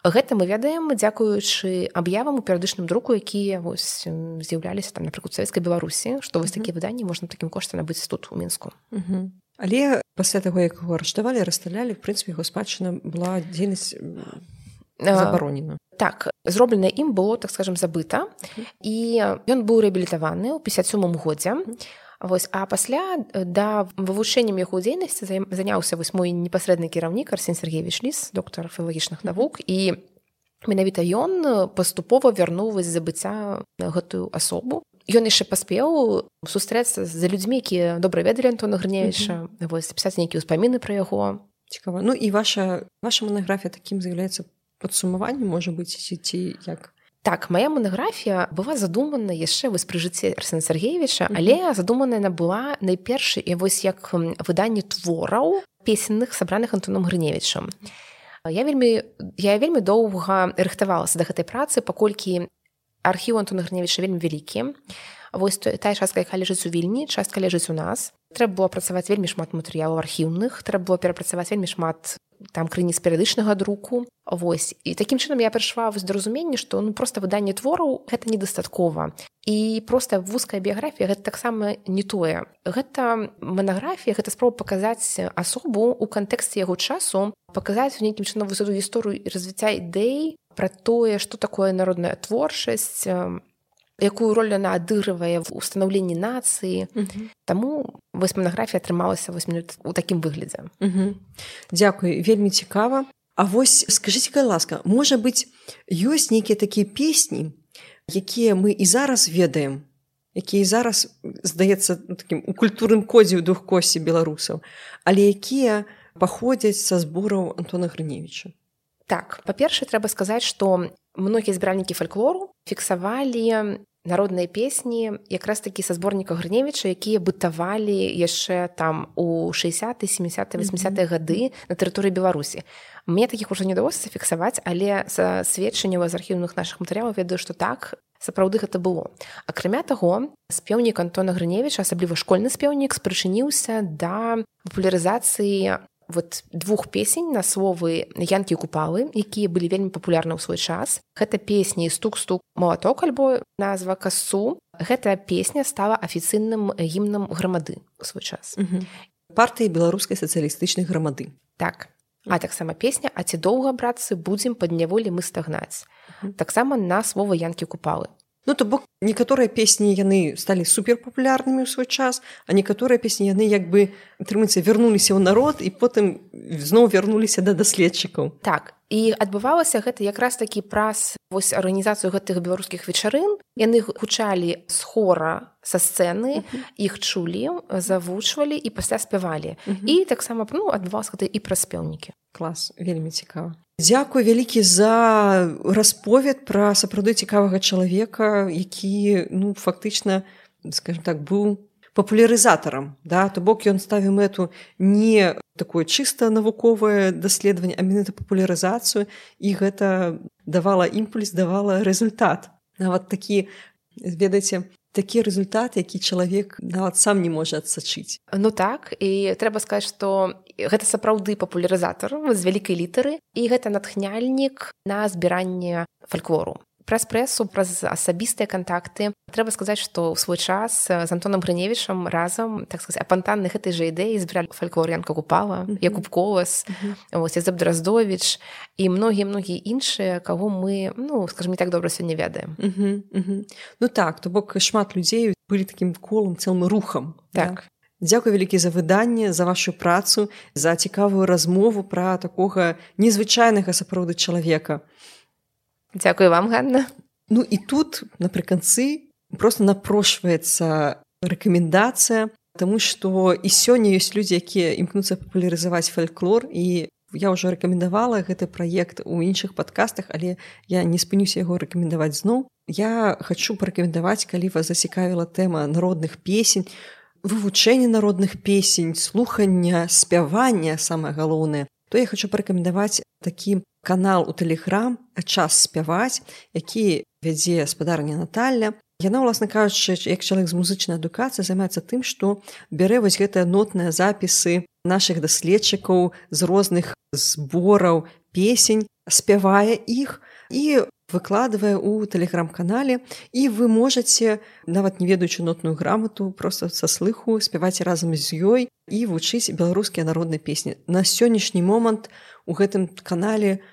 Гэта мы ведаем, дзякуючы аб'явам у перыядычным друку, якія вось з'яўляліся там, напрыклад, у Савецкай Беларусі, што вось такія выданні можна такім коштам набыць тут у Мінску. Але пасля таго, як яго арыштавалі, расстралялі, в прынцыпе, яго спадчына была дзейнасць забаронена. Так, зробленае ім было, так скажам, забыта, і ён быў рэабілітаваны ў 57 годзе. Вось, а пасля да вывучэннем яго дзейнасці заняўся вось мой непасрэдны кіраўнік Арсен Сергеевич Ліс, доктар філалагічных навук, і менавіта ён паступова вярнуў вось забыцця гэтую асобу. Ён яшчэ паспеў сустрэцца з людзьмі, якія добра ведалі Антона Грыневіча, вось, пісаць нейкія ўспаміны пра яго. Цікава. Ну і ваша манаграфія такім з'яўляецца падсумаваннем, можа быць, ці як? Так, моя монографія была задумана яшчэ вось пры жыцці Арсена Сергеевича, але задумана яна была найперш і вось як выданне твораў песенных, сабраных Антоном Грыневічам. Я вельмі доўга рыхтавалася да гэтай працы, паколькі архіў Антона Грыневіча вельмі вялікі. Вось тая частка, якая ляжыць у Вільні, частка ляжыць у нас. Трэба было працаваць вельмі шмат матэрыялаў архіўных, трэба было перапрацаваць вельмі шмат там крыніц перыядычнага друку. Вось. І такім чынам я прыйшла да разумення, што проста выданне твораў гэта недастаткова. І проста вузкая біяграфія гэта таксама не тое. Гэта манаграфія, гэта спроба паказаць асобу ў кантэксце яго часу, паказаць нейкім чынам высоту гісторыю і развіцця ідэй пра тое, што такое народная творчасць, якую роль яна адыгрывае ў станаўленні нацыі. Таму вось манаграфія атрымалася у такім выглядзе. Дзякуй, вельмі цікава. А вось скажыце-ка ласка, можа быць, ёсць нейкія такія песні, якія мы і зараз ведаем, якія зараз, здаецца, такім у культурным кодзе ў духкосці беларусаў, але якія паходзяць са збораў Антона Грыневіча? Так, па-першае, трэба сказаць, што многія збіральнікі фальклору фіксавалі народныя песні якраз такі са зборніка Грыневіча, якія бытавалі яшчэ там у 60-е, 70-е, 80-е гады на тэрыторыі Беларусі. Мне такіх ужо не ўдалося зафіксаваць, але са сведчанняў з архіўных нашых матэрыялаў ведаю, што так, сапраўды гэта было. Акрамя таго, спеўнік Антона Грыневіча, асабліва школьны спеўнік, спрычыніўся да папулярызацыі двух песень на словы Янкі Купалы, якія былі вельмі папулярны ў свой час. Гэта песні «Стук-стук малаток» альбо назва «Касцу». Гэта песня стала афіцыйным гімнам грамады ў свой час. Партыі беларускай сацыялістычнай грамады. Так. А таксама песня «А ці доўга, братцы, будзем пад няволі мы стагнаць». Таксама на слова Янкі Купалы. Ну, то бок, некаторыя песні яны сталі суперпапулярнымі ў свой час, а некаторыя песні яны як бы, атрымаецца, вярнуліся ў народ і потым зноў вярнуліся да даследчыкаў. Так, І адбывалася гэта якраз такі праз вось арганізацыю гэтых беларускіх вечарын. Яны гучалі з хора са сцэны, іх чулі, завучвалі і пасля спявалі. І таксама адбывалася гэта і праз спеўнікі. Клас, вельмі цікава. Дзякуй вялікі за расповед пра сапраўды цікавага чалавека, які, фактычна, скажем так, быў папулярызатарам, да? То бок ён ставіў мэту не такое чыста навуковае даследаванне, а менавіта папулярызацыю, і гэта давала імпульс, давала результат. Нават такі, ведаеце, такі результат, які чалавек нават сам не можа адсачыць. Так, і трэба сказаць, што гэта сапраўды папулярызатар з вялікай літары, і гэта натхняльнік на збіранне фальклору. Праз прэсу, праз асабістыя кантакты. Трэба сказаць, што ў свой час з Антонам Грыневічам разам, так сказаць, апантанны гэтай жа ідэі збіралі фальклор Янка Купала, Якуб Колас, Язэп Драздовіч і многія іншыя, каго мы, скажем, не так добра сёння ведаем. Так, то бок шмат людзей былі такім колам, цэлым рухам. Так. Дзякуй вялікі за выданне, за вашу працу, за цікавую размову пра такога незвычайнага сапраўды чалавека. Дзякуй вам, Ганна. І тут напрыканцы проста напрошваецца рэкамендацыя, таму што і сёння ёсць людзі, якія імкнуцца папулярызаваць фальклор, і я ўжо рэкамендавала гэты праект у іншых падкастах, але я не спынюся яго рэкамендаваць зноў. Я хачу парэкамендаваць, калі вас зацікавіла тэма народных песень, вывучэння народных песень, слухання, спявання, самае галоўнае, то я хачу парэкамендаваць такі канал у Тэлеграм «Час спяваць», які вядзе спадарня Наталля. Яна, уласна кажучы, як чалавек з музычнай адукацыяй, займаецца тым, што бярэ вось гэтыя нотныя запісы нашых даследчыкаў з розных збораў песень, спявае іх і выкладвае ў тэлеграм-канале, і вы можаце, нават не ведаючы нотную грамату, проста са слыху спяваць разам з ёй і вучыць беларускія народныя песні. На сённяшні момант у гэтым канале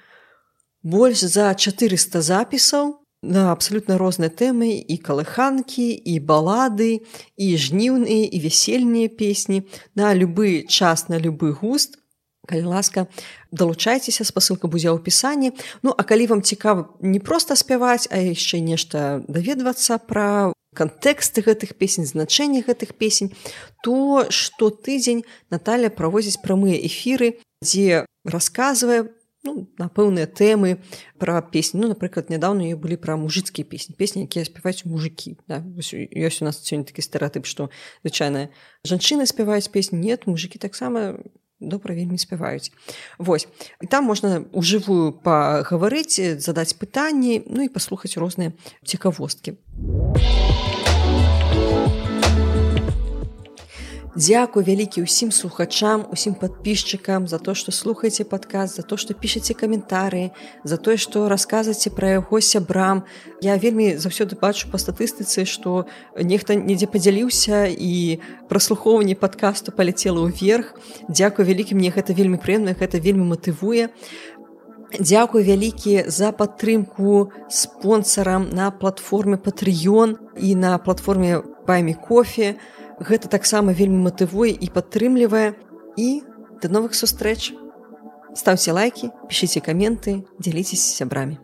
больш за 400 запісаў на абсалютна розныя тэмы, і калыханкі, і балады, і жніўныя, і весельныя песні, на любы час, на любы густ. Калі ласка, далучайцеся, спасылка будзе ў апісанні. А калі вам цікава не проста спяваць, а яшчэ нешта даведвацца пра кантэксты гэтых песень, значэнне гэтых песень, то штотыдзень Наталля праводзіць прамыя эфіры, дзе расказвае на пэўныя тэмы пра песні. Напрыклад, нядаўна ёй былі пра мужыцкія песні, песні, якія спяваюць мужыкі. Да? Ёсць у нас сёння такі стэрэатып, што звычайна жанчыны спяваюць песні, нет, мужыкі таксама добра вельмі спяваюць. Вось. І там можна ўжывую пагаварыць, задаць пытанні, і паслухаць розныя цікавосткі. Дзякуй вялікі ўсім слухачам, усім падпісчыкам за то, што слухаеце падкаст, за то, што пішаце каментарыі, за тое, што расказваеце пра яго сябрам. Я вельмі заўсёды бачу па статыстыцы, што нехта недзе падзяліўся і праслухоўванне падкасту паляцела ўверх. Дзякуй вялікі, мне гэта вельмі прыемна, гэта вельмі матывуе. Дзякуй вялікі за падтрымку спонсарам на платформе Patreon і на платформе Buy Me Coffee. Гэта таксама вельмі матывуе і падтрымлівае. І да новых сустрэч. Ставце лайкі, пішыце каменты, дзяліцеся з сябрамі.